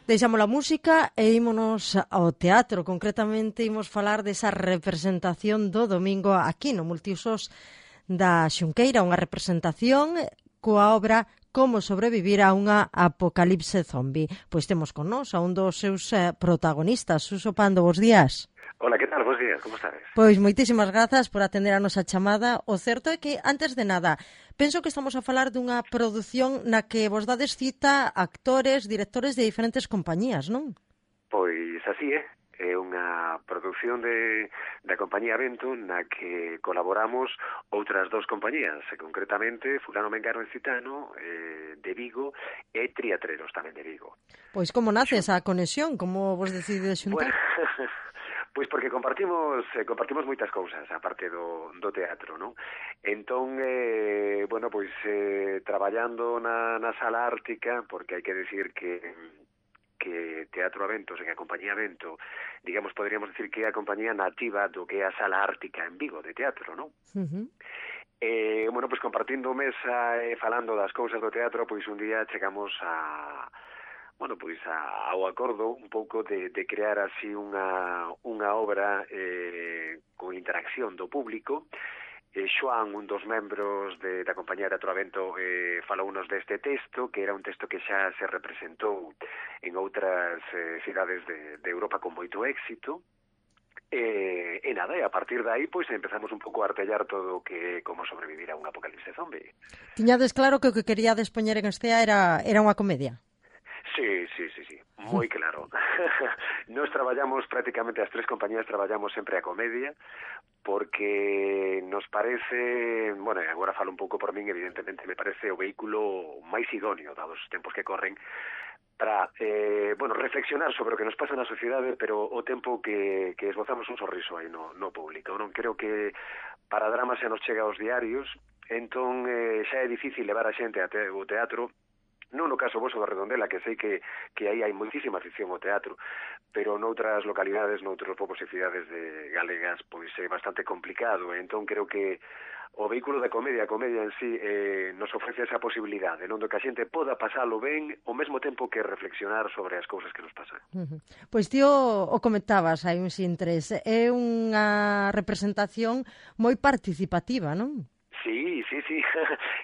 Deixamos a música e ímonos ao teatro. Concretamente, imos falar desa representación do domingo aquí no Multiusos da Xunqueira, unha representación coa obra Como sobrevivir a unha apocalipse zombi. Pois temos con nós a un dos seus protagonistas, Suso Pando, bos días. Hola, que tal? Bos días, como estades? Pois moitísimas grazas por atender a nosa chamada. O certo é que, antes de nada, penso que estamos a falar dunha produción na que vos dades cita actores, directores de diferentes compañías, non? Pois así é. É unha produción da compañía Vento na que colaboramos outras dos compañías, concretamente Fulano Mengano en Citano, de Vigo, e Triatreros tamén de Vigo. Pois como nace esa conexión? Como vos decides xuntar? Bueno, pois porque compartimos moitas cousas, aparte do teatro, non? Entón, bueno, pois traballando na Sala Ártica, porque hai que decir que Teatro Avento, que a compañía Vento, digamos, poderíamos decir que é a compañía nativa do que é a Sala Ártica en Vigo, de teatro, non? Bueno, pois compartindo mesa e falando das cousas do teatro, pois un día chegamos ao acordo un pouco de crear así unha obra con interacción do público. Xoan, un dos membros da compañía Teatro Avento, falounos deste texto, que era un texto que xa se representou en outras cidades de Europa con moito éxito. E nada, e a partir de aí pois empezamos un pouco a artellar todo que como sobrevivir a un apocalipse zombie. Tiñades claro que o que queríades poñer en estea era unha comedia? Sí, moi claro. Nos traballamos prácticamente, as tres compañías traballamos sempre a comedia, porque nos parece, bueno, agora falo un pouco por min, evidentemente me parece o vehículo máis idóneo, dados os tempos que corren, para, reflexionar sobre o que nos pasa na sociedade, pero o tempo que esbozamos un sorriso aí no público. Non creo que para drama se nos chega aos diarios, entón xa é difícil levar a xente ao teatro. Non no caso voso da Redondela, que sei que aí hai moitísima afición ao teatro, pero noutras localidades, noutros povos e cidades galegas, pois é bastante complicado. Entón creo que o vehículo da comedia, a comedia en sí, nos ofrece esa posibilidade, non do que a xente poda pasalo ben ao mesmo tempo que reflexionar sobre as cousas que nos pasan. Pois ti o comentabas hai uns intres, é unha representación moi participativa, non? Sí,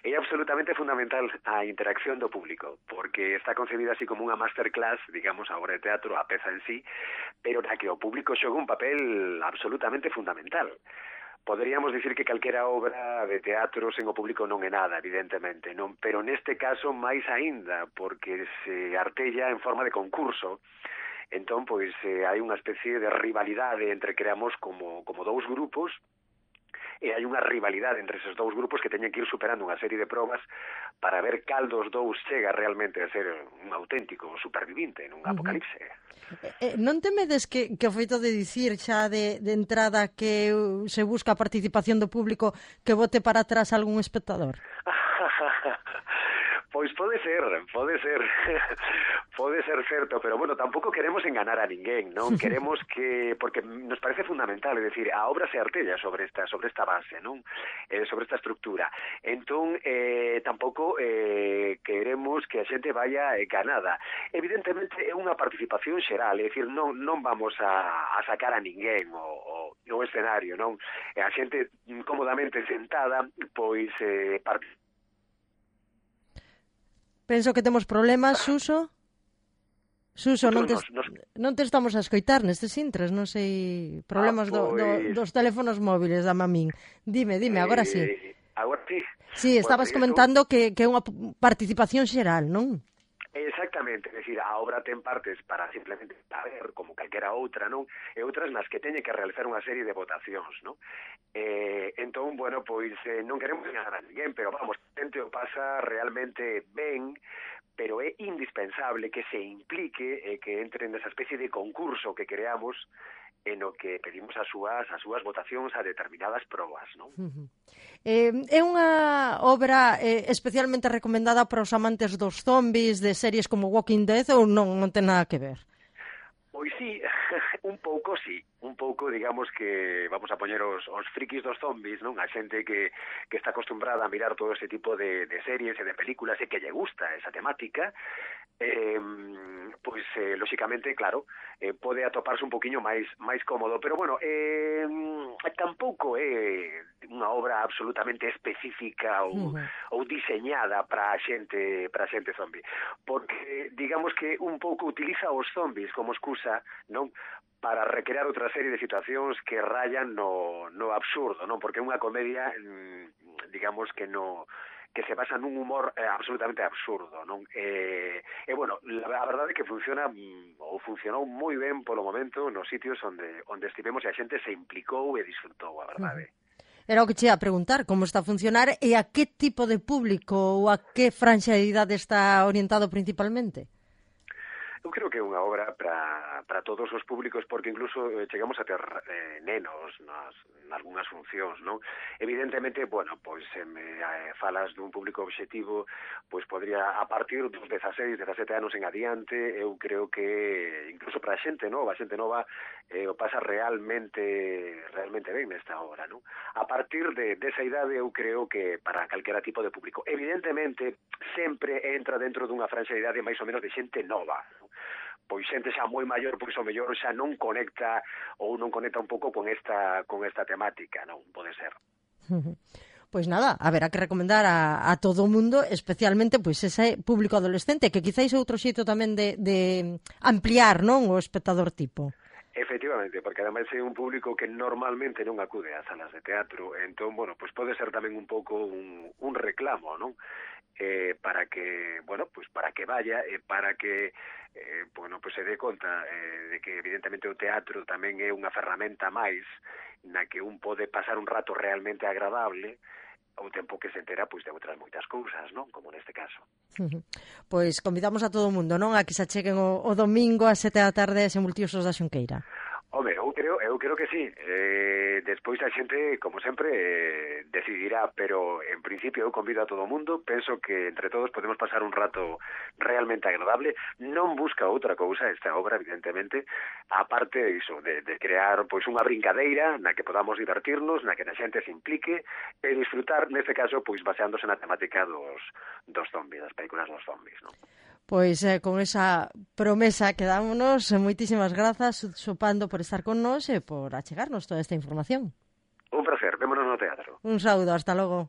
é absolutamente fundamental a interacción do público, porque está concebida así como unha masterclass, digamos, a obra de teatro, a peza en sí, pero na que o público xoga un papel absolutamente fundamental. Poderíamos dicir que calquera obra de teatro sen o público non é nada, evidentemente, non, pero neste caso máis aínda, porque se artella en forma de concurso. Entón, pois, hai unha especie de rivalidade entre creamos como dous grupos, e hai unha rivalidade entre esos dous grupos que teñen que ir superando unha serie de probas para ver cal dos dous chega realmente a ser un auténtico supervivinte nun apocalipse. Non temedes que o feito de dicir xa de entrada que se busca a participación do público que bote para atrás algún espectador? Pois pode ser certo, pero bueno, tampouco queremos enganar a ninguén, non? Queremos que, porque nos parece fundamental, é dicir, a obra se artella sobre esta base, non? Sobre esta estructura. Entón, tampouco queremos que a xente vaya ganada. Evidentemente é unha participación xeral, é dicir, non vamos a sacar a ninguén o escenario, non? A xente cómodamente sentada, pois participa. Penso que temos problemas, Suso. Suso, non te estamos a escoitar nestes intres, non sei, problemas dos teléfonos móviles da mamín. Dime, agora sí. Agora sí. Sí, estabas comentando que é unha participación xeral, non? Exactamente, é dicir, a obra ten partes para simplemente saber, como calquera outra, non? E outras nas que teñe que realizar unha serie de votacións, non? Entón, bueno, pois non queremos enganar a ninguén, pero vamos, a xente o pasa realmente ben, pero é indispensable que se implique e que entre nesa especie de concurso que creamos en o que pedimos as súas votacións a determinadas probas, non? É unha obra especialmente recomendada para os amantes dos zombies, de series como Walking Dead, ou non ten nada que ver? Pois sí, un pouco, digamos que vamos a poñer os frikis dos zombies, non? A xente que está acostumbrada a mirar todo ese tipo de series e de películas e que lle gusta esa temática, pois, lóxicamente, claro, pode atoparse un poquinho máis cómodo, pero bueno, tampouco é unha obra absolutamente específica ou diseñada para a xente zombie, porque digamos que un pouco utiliza os zombies como excusa, non, para recrear outra serie de situacións que rayan no absurdo, non? Porque é unha comedia, digamos que se basa nun humor absolutamente absurdo, non? Bueno, a verdade é que funcionou moi ben polo momento nos sitios onde estivemos e a xente se implicou e disfrutou, a verdade. Era o que che ia a preguntar, como está a funcionar e a que tipo de público ou a que franxa de idade está orientado principalmente? Eu creo que é unha obra para todos os públicos, porque incluso chegamos a ter nenos nalgúnas funcións, non? Evidentemente, bueno, pois se me falas dun público objetivo, pois podría, a partir dos 16, 17 anos en adiante, eu creo que incluso para a xente nova o pasa realmente ben nesta obra, non? A partir desa idade eu creo que para calquera tipo de público. Evidentemente, sempre entra dentro dunha franxa de idade máis ou menos de xente nova, non? Pois xente xa moi maior, pois ao mellor xa non conecta un pouco con esta temática, non? Pode ser. Pois nada, haberá que recomendar a todo o mundo, especialmente pois ese público adolescente, que quizáis é outro xeito tamén de ampliar, non, o espectador tipo. Efectivamente, porque ademais é un público que normalmente non acude ás salas de teatro, entón, bueno, pois pode ser tamén un pouco un reclamo, non? Para que, bueno, pues para que vaya e para que bueno, pues se dé conta de que evidentemente o teatro tamén é unha ferramenta máis na que un pode pasar un rato realmente agradable ao tempo que se entera pois de outras moitas cousas, non? Como neste caso. Pois convidamos a todo o mundo, non? A que se acheguen o domingo ás 7 da tarde en Multiusos da Xunqueira. Home, eu creo que sí. Despois a xente, como sempre, decidirá, pero en principio eu convido a todo o mundo. Penso que entre todos podemos pasar un rato realmente agradable. Non busca outra cousa esta obra, evidentemente, aparte iso, de crear pois unha brincadeira na que podamos divertirnos, na que a xente se implique e disfrutar, neste caso, pois baseándose na temática dos zombies, das películas dos zombies, non? Pois con esa promesa quedámonos. Moitísimas grazas, Sopando, por estar con nós e por achegarnos toda esta información. Un placer, vémonos no teatro. Un saúdo, hasta logo.